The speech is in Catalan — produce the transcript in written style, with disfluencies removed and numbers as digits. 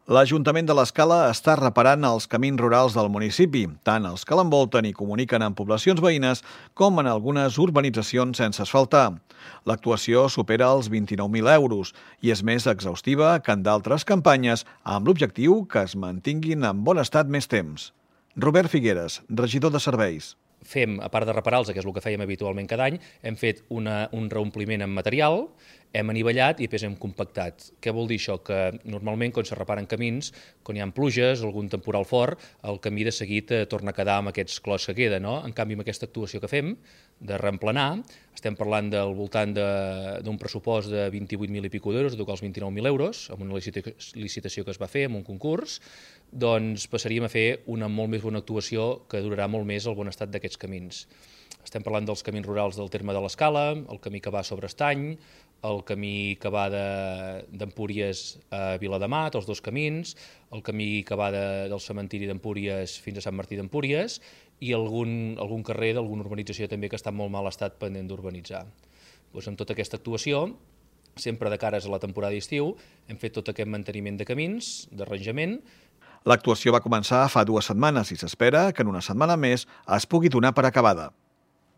L'Ajuntament de l'Escala està reparant els camins rurals del municipi, tant els que l'envolten i comuniquen amb poblacions veïnes com en algunes urbanitzacions sense asfaltar. L'actuació supera els 29.000 euros i és més exhaustiva que en d'altres campanyes amb l'objectiu que es mantinguin en bon estat més temps. Robert Figueres, regidor de Serveis. Fem, a part de reparar-los, que és el que fèiem habitualment cada any, hem fet un reompliment amb material, hem anivellat i després hem compactat. Què vol dir això? Que normalment quan se reparen camins, quan hi ha pluges o algun temporal fort, el camí de seguit torna a quedar amb aquests clos que queda, no? En canvi, amb aquesta actuació que fem, de reemplenar, estem parlant del voltant d'un pressupost de 28.000 i pico d'euros, de tocar els 29.000 euros, amb una licitació que es va fer, amb un concurs, doncs passaríem a fer una molt més bona actuació que durarà molt més el bon estat d'aquests camins. Estem parlant dels camins rurals del terme de l'Escala, el camí que va sobre Estany, el camí que va d'Empúries a Viladamat, els dos camins, el camí que va del cementiri d'Empúries fins a Sant Martí d'Empúries i algun carrer d'alguna urbanització també que està en molt mal estat pendent d'urbanitzar. Doncs amb tota aquesta actuació, sempre de cares a la temporada d'estiu, hem fet tot aquest manteniment de camins, d'arranjament. L'actuació va començar fa 2 setmanes i s'espera que en una setmana més es pugui donar per acabada.